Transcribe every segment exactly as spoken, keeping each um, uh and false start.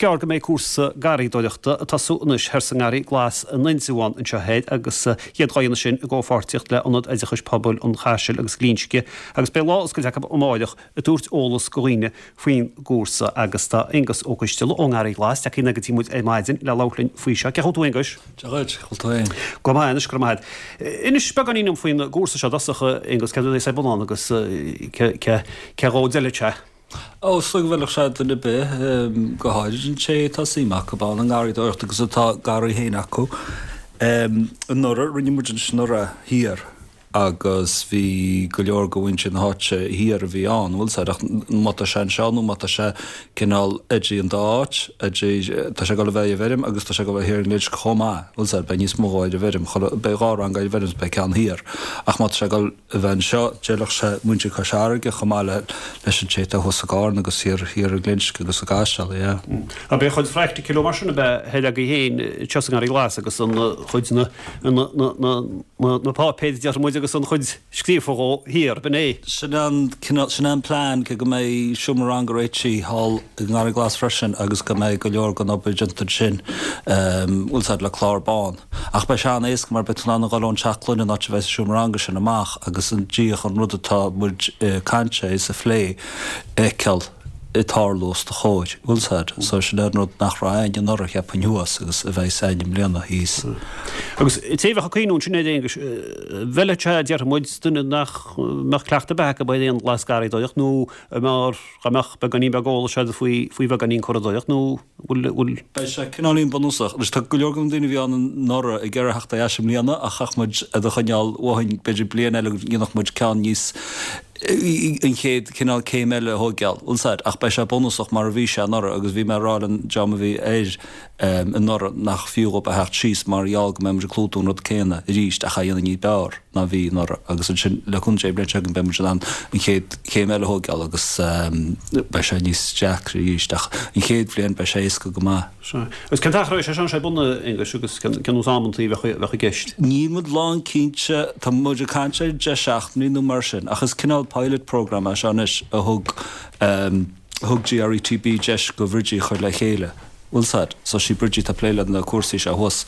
gearr go mbeidh cúrsa garraíodóireachta ag tosú anois thoir sa nGarraí Glas in Indreabhán anseo thoir agus iad dhá dhéanamh sin i gcomhpháirtíocht le Ionad Oideachais Pobail an Chaisil agus Ghlinsce agus beidh lá oscailte acu amáireach ag tabhairt eolas go dhaoine faoin gcúrsa agus tá Aonghus Ó Coisteala ón nGarraí Glas tagtha go dtí muid ar maidin le labhairt linn faoi seo. Cén chaoi a bhfuil tú Aonghuis? Dia dhuit, bhfuil tú féin? Go maith anois, go raibh maith agat. Inis beagáinín dom faoin gcúrsa seo i dtosach Aonghus, céard a bheas ar bun ann agus cé dhó a d'fheilfeadh sé? Ó, is dóigh go bhfeilfeadh sé duine ar bith, go háirid an té atá suim acu ann i ngarraíodóireacht agus atá garraí féin acu. Anuraidh, rinne muid anuraidh thiar agus bhí go leor de mhuintir na háite thiar a bhí ann, bhfuil 's a'd, ach má tá sé anseo nó má tá sé cineál idir an dá áit, idir, tá sé ag dul a bheith ar an bhfeirm agus tá sé ag dul a bheith thiar i nGlinsce chomh maith, bhfuil 's a'd, beidh níos mó ar an bhfeirm, beidh dhá rang ar an bhfeirm is beidh ceann thiar ach má tá sé ag dul a bheith anseo, d'fheilfeadh sé muintir Chois Fharraige chomh maith le leis an té atá thuas i gCarna agus thiar thiar i nGlinsce agus i gCaiseal, yeah. Ab é an chuid phractical mar sin ab ea thoir agaibh féin anseo sa nGarraí Glas agus an chuid na na na na na páipéir déarfaidh muid agus an chuid scríofa dhó thiar, b'in é? Sin an cineál, sin é an plean, cé go mbeidh seomra ranga réitithe thall i nGarraí Glas freisin agus go mbeidh go leor den obair déanta ansin, bhfuil 's a'd, le clár bán. Ach beidh sé an-éasca mar beidh tú in ann a dhul ón teach clainne an áit a bheidh sa seomra ranga sin amach agus an díreach an rud atá muid ag caint air is a phlé a fheiceáil ag tarlú os do chomhair, bhfuil 's a'd. So sin é an rud nach raibh a'inn anuraidh cheapfainn thuas agus a bheidh a'inn i mbliana thíos. Agus té a bheadh ag cuimhniú ansin air Aonghus, bhfeilfeadh sé, déarfaidh muid, duine nach mbeadh cleachtadh ar bith acu ar aon ghlasgharraíodóireacht nó mar dá mbeadh beagáinín beag eolais agat faoi faoi bheagáinín curadóireacht nó bhfuil bhfuil. Beidh sé cineáilín bunúsach. Anois tá go leor de na daoine a bhí ann anuraidh ag iarraidh theacht ar ais i mbliana ach chaithfeadh muid iad a choinneáil uathainn b'fhéidir bliain eile go ndéanfadh muid ceann níos an chéad cineál céim eile a thóigeáil, bhfuil 's a'd. Ach beidh sé bunúsach mar a bhí sé anuraidh agus bhí mé ag rá le an dream a bhí air anuraidh nach fiú dhóibh a theacht síos mar gheall go mbeidh muid ag clúdú an rud céanna arís ach á dhéanamh ní b'fhearr ná bhí anuraidh agus ansin le cúnamh Dé an bhliain seo chugainn beidh muid in ann an chéad chéim eile a thóigeáil agus beidh sé níos deacra arís ach an chéad bhliain beidh sé éasca go maith. Sea. Agus cén t-achar a bheidh sé seo ar bun, a Aonghuis, agus cén nós amantaí a bheadh bheadh i gceist? Níl muid lán cinnte, tá muid ag caint ar deich seachtainí nó mar sin ach is cineál pilot programme é seo anois a thug a thug GRETB deis go Bridgie a chur le chéile. Bhfuil 's a'd. So sí Bridgie atá ag plé le na cúrsaí seo thuas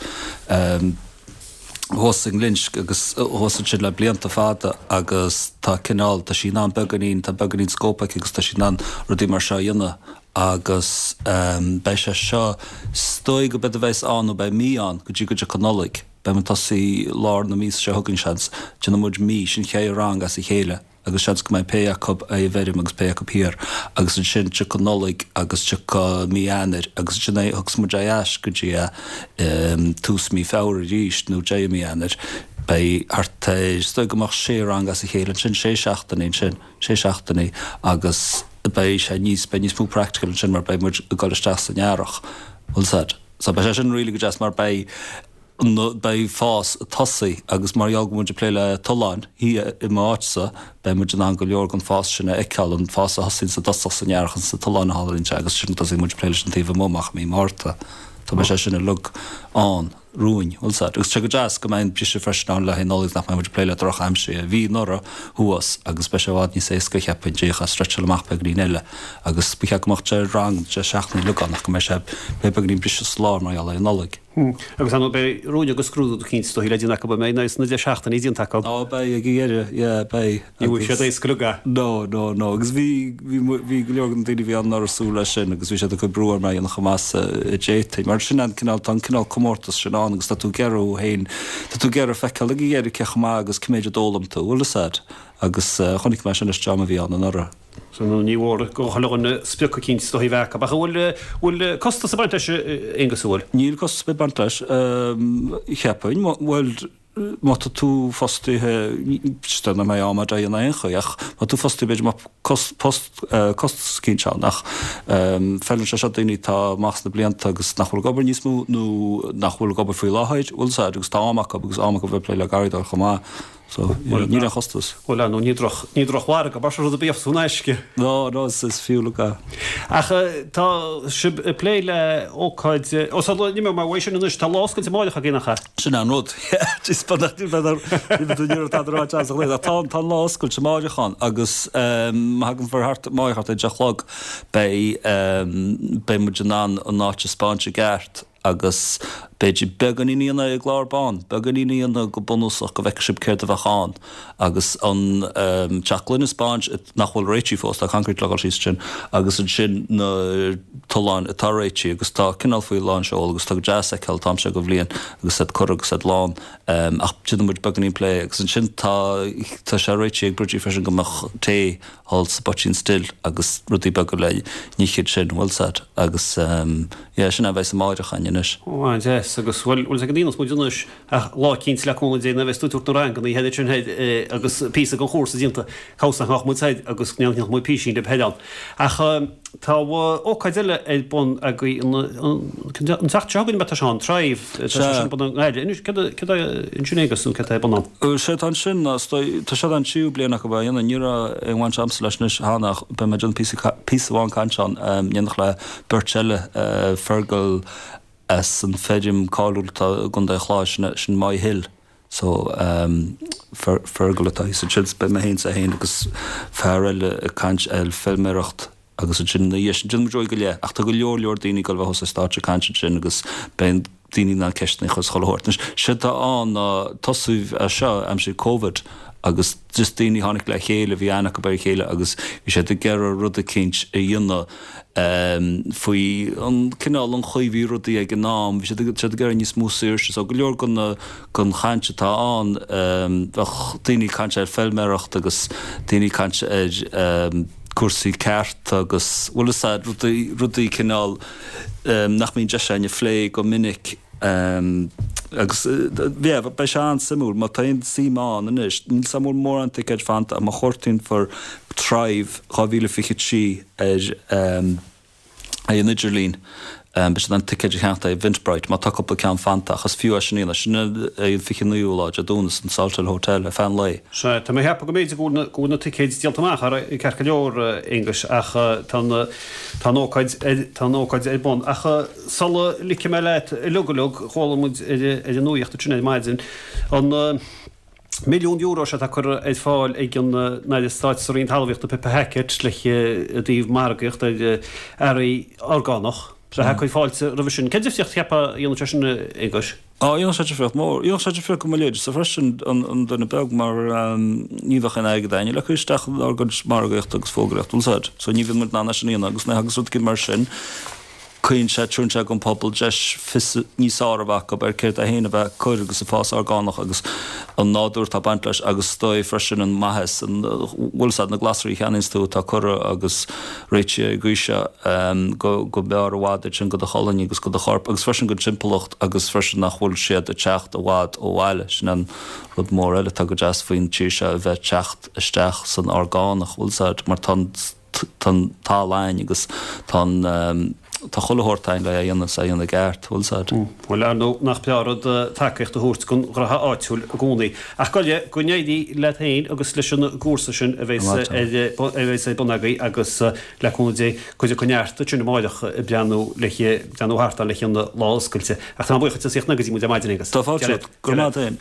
thuas i nGlinsce agus thuas ansin le blianta fada agus tá cineál, tá sí in ann beagáinín, tá beagáinín scóip aici agus tá sí in ann rudaí mar seo a dhéanamh agus beidh sé seo, is dóigh go b'fhéidir bheas ann nó beidh mí ann go dtí go dtiocfaidh Nollaig. Beidh muid ag tosaí lár na míosa seo chugainn seans, déanfaidh muid mí, sin ceithre rang as a chéile. agus seans go mbeidh pé acu ar an bhfeirm agus pé acu thiar agus ansin tiocfaidh Nollaig agus tiocfaidh mí Eanáir agus ansin é thiocfas muid ar ais go dtí tús mí Feabhra arís nó deireadh mí Eanáir. Beidh thart ar, is dóigh go mbeadh sé rang as a chéile ansin, sé seachtainí ansin, sé seachtainí agus beidh sé níos, beidh níos mó practical ansin mar beidh muid ag dul isteach san earrach, bhfuil 's a'd. So beidh sé sin really go deas mar beidh, beidh fás ag tosaí agus mar gheall go bhfuil muid ag plé le tolláin thiar i m'áit-sa, beidh muid in ann go leor den fás sin a fheiceáil, an fás a thosaíonn sa dtosach san earrach ins na tolláin a tharlaíonn sé agus ansin tosaíonn muid ag plé leis an taobh amuigh amach i mí Márta. So beidh sé sin uilig ann romhainn, bhfuil 's a'd. Agus tá sé go deas go mbeidh an briseadh freisin ann le haghaidh Nollaig nach mbeidh muid ag plé le droch-aimsir a bhí anuraidh thuas agus beidh sé i bhfad níos éasca cheapfainn díreach a stretcháil amach beagáinín eile agus ba cheart go mbeadh deich rang, deich seachtain uilig ann ach go mbeidh sé, beidh beagáinín briseadh sa lár mar gheall ar an Nollaig. Agus ar ndóigh beidh rúin agus scrúdú eicínt is dóichí le déanamh acu, an mbeidh sna deich seachtainí déanta acu. Á beidh ag an dheireadh, yeah beidh. Ní bhfuil siad éasca uilig. No, no, no. Agus bhí, bhí, bhí go leor de na daoine a bhí ann anuraidh ag súil leis sin agus bhí siad ag cur brú orm é a dhéanamh chomh maith is a d'fhéadfainn. Mar sin an cineál, tá an cineál comórtas sin ann agus tá tú ag iarraidh thú féin, tá tú ag iarraidh feiceáil ag an dheireadh cé chomh maith agus cé méid a d'fhoghlaim tú, bhfuil fhios a'd? Agus chonaic mé sin leis an dream a bhí ann anuraidh. So ní mhór go chuile dhuine sprioc eicínt is dóichí a bheith acu. Ach an bhfuil, bhfuil costas ag baint leis, a Aonghuis, an bhfuil? Níl costas ar bith ag baint leis, cheapfainn. Bhuel, má tá tú fostaithe, is dóigh nach mbeidh am a'd é in aon chaoi, ach má tá tú fostaithe b'fhéidir mbeadh post, costas eicínt ann. Ach feileann sé seo daoine atá amach sna blianta agus nach bhfuil ag obair níos mó nó nach bhfuil ag obair faoi láthair, bhfuil 'fhios a'd, agus tá am acu agus am acu bheith ag plé le garraíodóireacht chomh maith. So níl aon chostas. Bhuel ar ndóigh ní droch ní drochmhargadh mar sin rud ar bith in aisce. No, no, is is fiú le Ach tá sibh ag plé le ócáid ó sula n-imeoidh mé uaidh sin anois tá lá oscailte amáireach againn nach ea? Sin an rud. Is tá tá an lá oscailte amáireach ann agus má thagann fir thart amáireach thart ar deich a chlog beidh beidh muid in ann an áit a 'speáint i gceart agus b'fhéidir beagáinín a dhéanamh i gclár bán, beagáinín a dhéanamh go bunúsach go bhfeicfidh sibh céard a bheadh ann agus an teach gloine a 'speáint nach bhfuil réitithe fós, tá concrete le dhul síos ansin agus ansin na tolláin atá réitithe agus tá cineál faoi lán seol agus tá go deas a fheiceáil an t-am seo de bhliain agus iad curtha agus iad lán ach déanfaidh muid beagáinín plé agus ansin tá tá sé réitithe ag Bridgie freisin go mbeadh tae thall sa bPoitín Stil agus rudaí beaga le n-ithe ansin, bhfuil 's a'd agus yeah sin é a bheas amáireach againn anois. Ó an-deas agus bhuel bhfuil 's ag an aontas muid anois ach lá eicínt le cúnamh Dé nuair a bheas tú ag tabhairt na ranganna thoir ansin thoir agus píosa den chúrsa déanta cabhsa nach mbeadh muid thoir agus go ndéanfadh muid písín libh thoir ann. Ach tá ócáid eile ar bun agaibh an an tseachtain seo chugainn atá sé an Thrive tá sé sin ar bun i nGaillimh. Anois céard céard é ansin Aengus nó céard atá ar bun ann? Sé atá ansin ná tá sé an tríú bliain acu é a dhéanamh ní raibh aon bhaint agamsa leis anois cheana ach beidh mé ag déanamh píosa píosa amháin cainte ann in éineacht le beirt eile Fergal as an feirm cáiliúil atá i gContae an Chláir sin sin Moy Hill so Fergal atá thíos ansin so beidh mé féin is é féin agus fear eile ag caint ar feilméaracht agus ansin ina dhiaidh sin déanfaidh muid uair go leith ach tá go leor leor daoine ag dul a bheith thuas ar stáitse ag caint ansin agus beidh daoine in ann ceisteanna a chur is chuile shórt. Anois séard atá ann ná tosaíodh é seo aimsir Covid agus just daoine a tháinig le chéile, bhí aithne acu ar a chéile agus bhí siad ag iarraidh rud eicínt a dhéanamh faoi an cineál, an chaoi a bhí rudaí ag an am, bhí siad ag siad ag iarraidh níos mó saoirse. So go leor den den chaint atá ann, bheadh daoine ag caint ar feilméaracht agus daoine ag caint ar cúrsaí cearta agus bhfuil fhios a'd, rudaí, rudaí cineál nach mbíonn deis againn a phlé go minic. Agus yeah, beidh sé an-suimiúil má tá aon suim ann anois. Níl 's a'm an bhfuil mórán ticéid fanta ach má chuartaíonn fir Thrive dhá mhíle fiche trí ar ar an idirlíon, beidh siad in ann ticéid a cheannacht ar Eventbrite má tá cúpla ceann fanta ach is fiú é sin a dhéanamh. Sin é an fiche naoú lá Dé Domhnaigh san Salthill Hotel ar feadh an lae. Sea, tá mé ag ceapadh go mb'fhéidir go bhfuil go bhfuil na ticéid díolta amach ceart go leor, Aonghus, ach tá an tá an ócáid ar tá an ócáid ar bun. Ach sula ligfidh mé leat uilig uilig, chuala muid ar ar an nuaíocht ansin ar maidin an milliún euro seo atá curtha ar fáil ag an Aire Stáit sa Roinn Talmhaíochta Pippa Hackett le i dtaobh margaíocht ar earraí orgánach. Bheith ag cur fáilte roimhe sin. Cén difríocht a cheapfá a dhéanfadh sé sin, a Aonghuis? Á, dhéanfadh sé difríocht mhór. Dhéanfadh sé difríocht go mo leithéidse freisin, an duine beag, mar ní bheadh aon airgead againne le cur isteach inár gcuid margaíochta agus fógraíochta, bhfuil 's a'd. So ní bhíonn muid in ann é sin a dhéanamh agus nuair a thagas rud éigin mar sin, cuireann sé, tabharann sé don phobal deis fios níos fearr a bheith acu ar céard é féin a bheith ag cur agus ag fás orgánach agus an nádúr atá ag baint leis agus is dóigh freisin an maitheas, an, bhfuil 's a'd, na glasraí a cheannaíonns tú atá curtha agus réitithe ar an gcaoi seo go go mb'fhearr i bhfad iad sin go do cholainn agus go do chorp agus freisin don timpeallacht agus freisin nach bhfuil siad ag teacht i bhfad ó bhaile. Sin an rud mór eile atá go deas faoin tír seo a bheith ag teacht isteach san orgánach, bhfuil 's a'd, mar tá an tá an talamh a'inn agus tá an tá chuile shórt a'inn le é a dhéanamh is é a dhéanamh i gceart, bhfuil 's a'd. Bhuel, ar ndóigh, nach breá rud tacaíocht a thabhairt don ghraithe áitiúil i gcónaí. Ach gabh i leith, go n-éirí leat féin agus leis an gcúrsa sin a bheas ar a bheas ar bun agaibh agus le cúnamh Dé, cuid acu neart ansin amáireach ag breathnú le breathnú thart ann le an lá oscailte. Ach tá mé buíoch duit as ucht go dtí muid ar maidin, Aengus. Tá fáilte romhat. Go raibh maith agat féin.